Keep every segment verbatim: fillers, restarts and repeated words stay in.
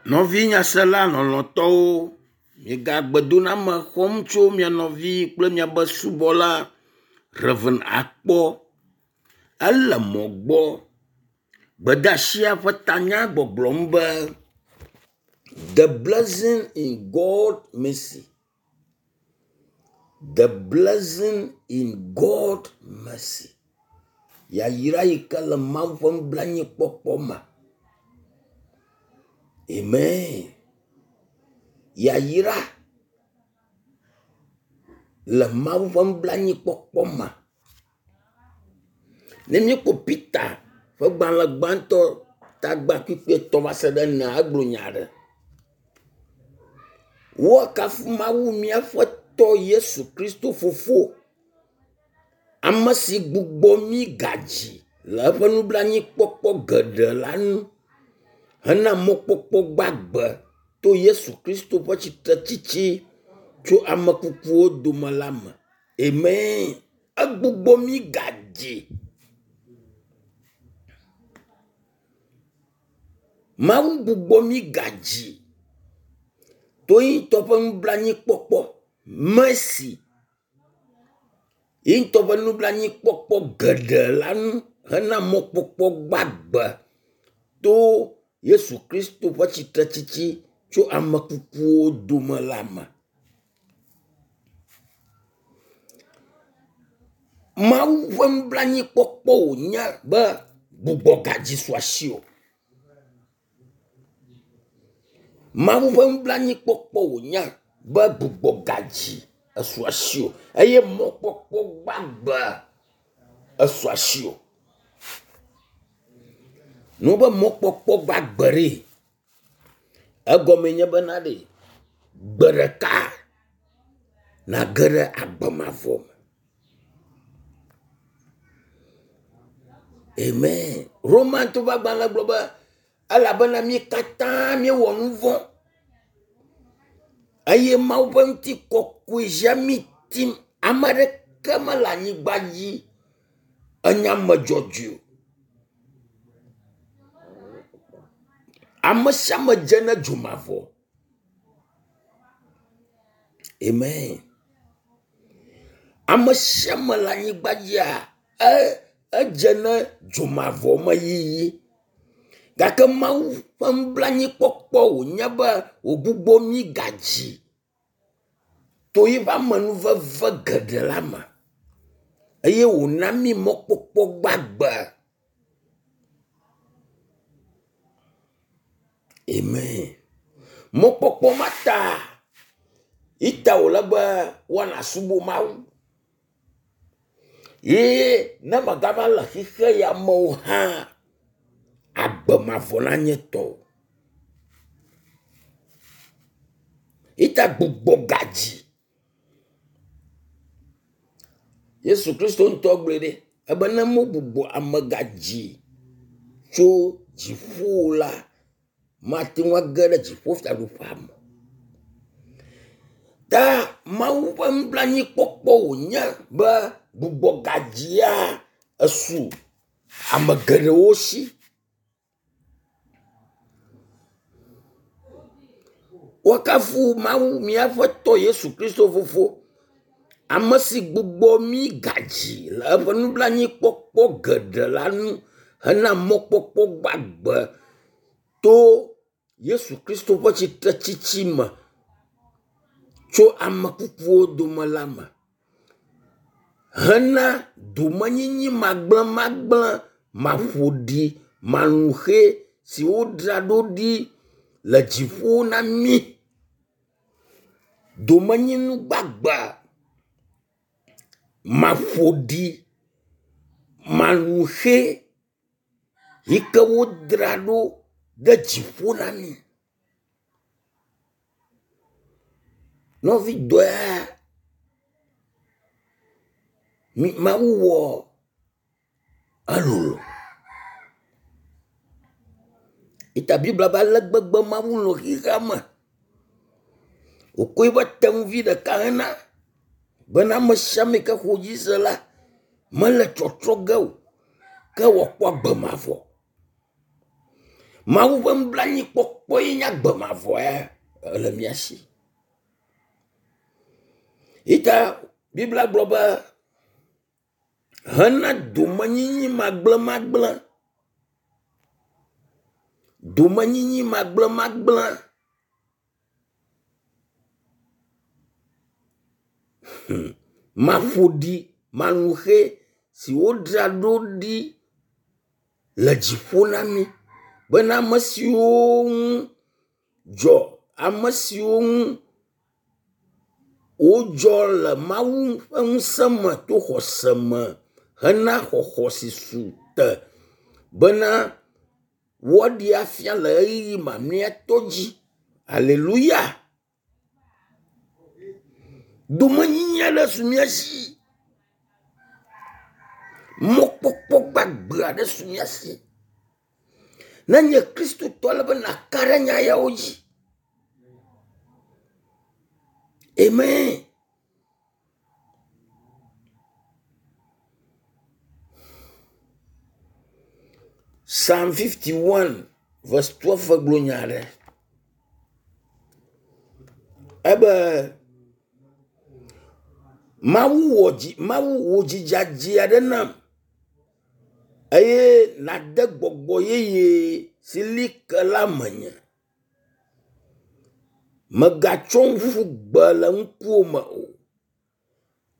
Nɔvi nyasela lɔlɔ̃tɔwo, miegale xɔm tso mia nɔvi kple miabe subɔla Rev. Akpɔ. Ele mɔ gbɔ. Gbedeasia ƒe tanya gbɔgblɔm be the blessing in God mercy. The blessing in God mercy. Yayra yi ke le Mawu ƒe nublanuikpɔkpɔ me. Amen. Yayra le Mawu ƒe nublanuikpɔkpɔ me. Ne míekpɔ Peter ƒe gbalẽ gbãtɔ tagba kpukpui etɔ̃ va se ɖe enea, egblɔ nya aɖe. Woakafu Mawu míaƒe tɔ Yesu Kristo fofo, ame si gbugbɔ mí gadzi le eƒe nublanuikpɔkpɔ geɖe la nu hena mɔkpɔkpɔ gbagbe to Yesu Kristo ƒe tsitretsitsi tso ame kukuwo dome la me. Amen. Egbugbɔ mí gadzi. Mawu gbugbɔ mí gadzi to ye ŋutɔ ƒe nublanuikpɔkpɔ mercy ye ŋutɔ ƒe nublanuikpɔkpɔ geɖe la nu hena mɔkpɔkpɔ gbagbe to Yesu Kristo ƒe tsitretsitsi tso ame kukuwo dome la me. Mawu ƒe nublanuikpɔkpɔ wònye be gbugbɔgadzi su asiwò. Mawu ƒe nublanuikpɔkpɔ wònye be gbugbɔgadzi esu asiwò eye mɔkpɔkpɔ gbagbe esu asiwò. Nu be mɔkpɔkpɔ gbagbe ɖe, egɔme nye bena ɖe, gbe ɖeka nage ɖe agbe mavɔ me. Amen. Romatɔwo ƒe agbalẽ gblɔ be elabena mí katã míewɔ nu vɔ̃ eye Mawu ƒe ŋutikɔkɔe ʒia mí tim. Ame aɖeke mele anyigba dzi enye ame dzɔdzɔe o. Ame sia ame dze na dzo mavɔ. Amen. Ame sia ame le anyigba dzia e edze ne dzomavɔ me yiyi. Gake Mawu ƒe nublanuikpɔkpɔ wònye be wògbugbɔ mí gadzi to eƒe amenuveve geɖe la me eye wòna mí mɔkpɔkpɔ gbagbe. Amen. Mɔkpɔkpɔ ma ta ita wòle be woana subɔ Mawu. Ye ne megava le xixe ya me o hã, agbe mavɔ nanye tɔwò. Ita gbugbɔ gadzi. Yesu Kristo ŋutɔ gblɔe ɖe ebe ne mogbugbɔ ame gadzi tso dziƒo la, mate ŋu age ɖe dziƒofiaɖuƒea me. Ta Mawu ƒe nublanuikpɔkpɔ wònye be gbugbɔgadzia esu ame geɖewo si. Woakafu Mawu míaƒe tɔ Yesu Kristo fofo, ame si gbugbɔ mí gadzi le eƒe nublanuikpɔkpɔ geɖe la nu hena mɔkpɔkpɔ gbagbe to Yesu Kristo ƒe tsitretsitsi me tso ame kukuwo dome la me hena domenyinyi magblẽmagblẽ, maƒoɖi, malũxɛ si wodzra ɖo ɖi le dziƒo na mí. Domenyinu gbagbe maƒoɖi, malũxɛ yi ke wodzra ɖo ɖe dziƒo na mí. Nɔvi dɔe Mawu wɔ elolo. Ita Biblia be ale gbegbe Mawu lɔ̃ xexea me wòkɔ eƒe tenuvi ɖeka hena bena ame sia ame yi ke xɔ edzi se la mele tsɔtsrɔ̃ ge o ke wòakpɔ agbe mavɔ. Mawu ƒe nublanuikpɔkpɔ ye nye agbe mavɔ ya ele mía si. Yita Biblia gblɔ be hena domenyinyi magblẽmagblẽ. Domenyinyi magblẽmagblẽ. Hmm. Maƒoɖi manuxe si wodzra ɖo ɖi le dziƒo na mí bena ame siwo ŋu dzɔ ame siwo ŋu wodzɔ le Mawu ƒe ŋusẽ me to xɔse me hena xɔxɔ si su te bena woaɖee afia le ʋeyiʋi mamlɛtɔ dzi. Aleluya. Domenyinyi aɖe su mía si. Mɔkpɔkpɔ gbagbe aɖe su mía si. Ne nye kristotɔ ele be nàka ɖe nya yawo dzi. Amen. Psalm fifty-one verse twelve gblɔ nya aɖe. Ebe Mawu wɔ dzi Mawu wò dzi dzadzɛ aɖe nam eye nàde gbɔgbɔ yeye si li ke la menye. Mègatsɔm ƒu gbe le ŋkuwò me o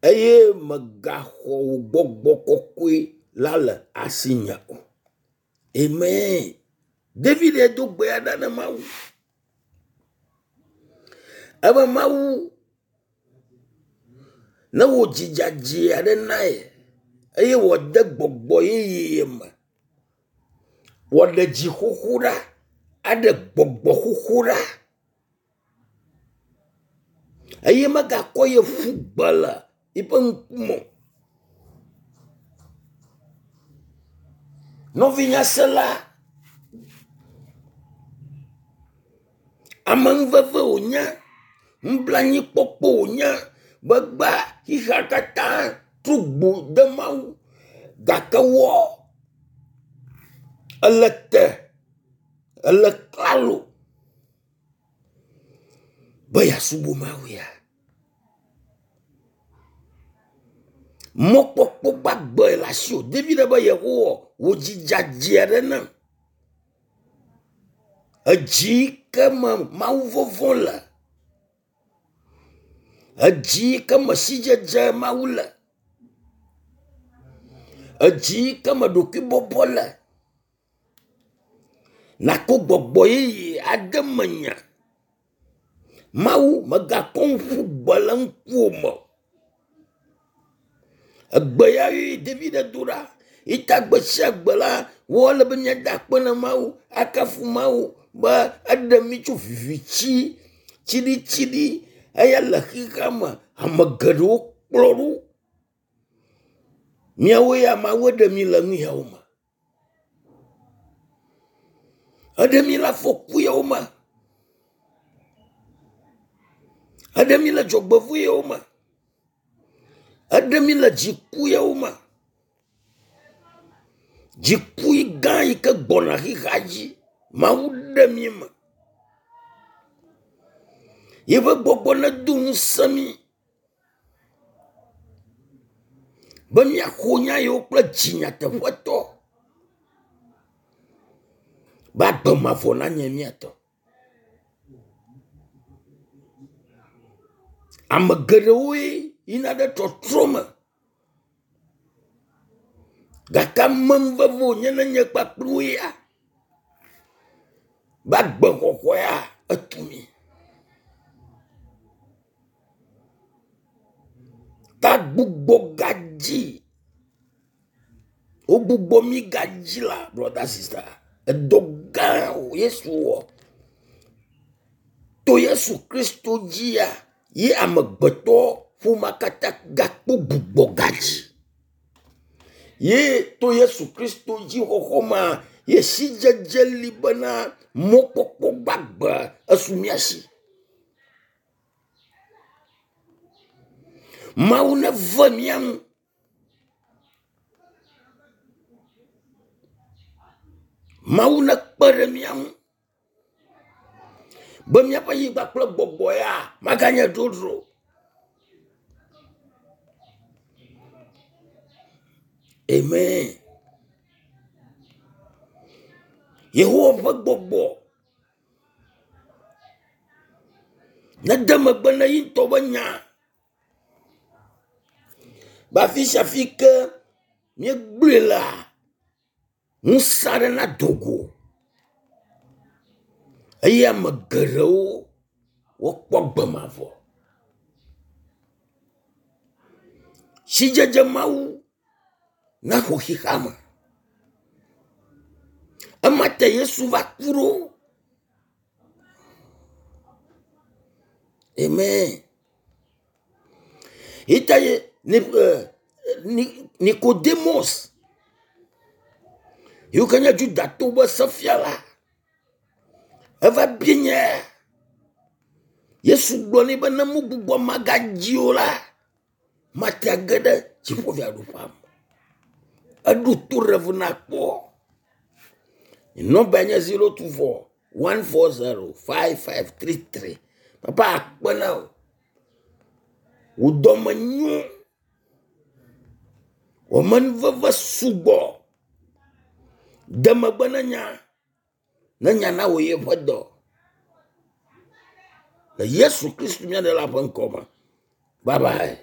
eye mègaxɔ wò gbɔgbɔ kɔkɔe la le asinye o. Amen. David do gbe ɖa na Mawu. Ebe Mawu ne wò dzi dzadzɛ aɖe na ye eye wòade gbɔgbɔ yeye me. Wòaɖe dzi xoxo ɖa, aɖe gbɔgbɔ xoxo ɖa. Eye megakɔ ye ƒu gbe le eƒe ŋkume o. Nɔvinyasela, amenuveve wònye, nublanuikpɔkpɔ wònye be gbea xexea katã trɔ gbo de Mawu gake wɔ ele te, ele klalo be yeasubɔ Mawu ya. Mɔkpɔkpɔ gbagbe le asiwò. David be Yehowa wò dzi dzadzɛ aɖe nam. Edzi ke me Mawu vɔvɔ̃ le. Edzi ke me sidzedze Mawu le. Edzi ke me ɖokuibɔbɔ le. Nàkɔ gbɔgbɔ yeye ade menye. Mawu mègakɔm ƒu gbe le ŋkuwò me o. Egbe ya ye David do ɖa. Yita gbe sia gbe la, wole be míada akpe na Mawu, akafu Mawu be eɖe mí tso viviti tsiɖitsiɖi eya le xexea me. Ame geɖewo kplɔ ɖo. Míawo ya Mawu ɖe mí le nu yawo me. Eɖe mí le afɔku yawo me. Eɖe mí le dzɔgbevɔ̃e yawo me. Eɖe mí le dziku yawo me. Dziku gã yi ke gbɔna xexea dzi. Mawu ɖe mí me. Yeƒe gbɔgbɔ nedo ŋusẽ mí be míaxɔ nya yiwo kple dzi nyateƒetɔ be agbe mavɔ nanye mía tɔ. Ame geɖewoe yina ɖe trɔtrɔ me. Gake amenuveve wònye na nye kpakple wò ya be agbexɔxɔ ya etu mí. Ta gbugbɔ gadzi. Wogbugbɔ mí gadzi la, brother sister, edɔ gã Yesu wɔ. To Yesu Kristo dzia, ye amegbetɔ ƒomea katã gakpɔ gbugbɔ gadzi. Ye to Yesu Kristo dzi xɔxɔ ma, ye sidzedze li bena mɔkpɔkpɔ gbagbe esu mía si. Mawu neve mía ŋu. Mawu nekpe ɖe mía ŋu be míaƒe anyigba kple gbɔgbɔ ya maganye dzodzro. Amen. Yehowa ƒe gbɔgbɔ nede megbe na ye ŋutɔ ƒe nya. Be afi sia fi ke míegblɔe lea, ŋusẽ aɖe nado go eye ame geɖewo wokpɔ gbe mavɔ. Sidzedze Mawu naxɔ xexea me. Ema ta Yesu va ku ɖo. Amen. Yi ta ye Nikodemos yiwo ke nye Judatɔwo ƒe sefiala eva bia nya. Yesu gblɔ nɛ be ne mugbugbɔ magadzi o la, mate age ɖe dziƒofiaɖuƒea me. Eɖo to Rev. Nakpɔ. Nɔmba nye zero two four one four zero five five three three. Papa akpe na wò. Wò dɔme nyo. Wò amenuveve sugbɔ. De megbe ne nya. Ne nya nawɔ yeƒe dɔ. Le Yesu Kristu mía Ɖela ƒe ŋkɔ me. Bye bye.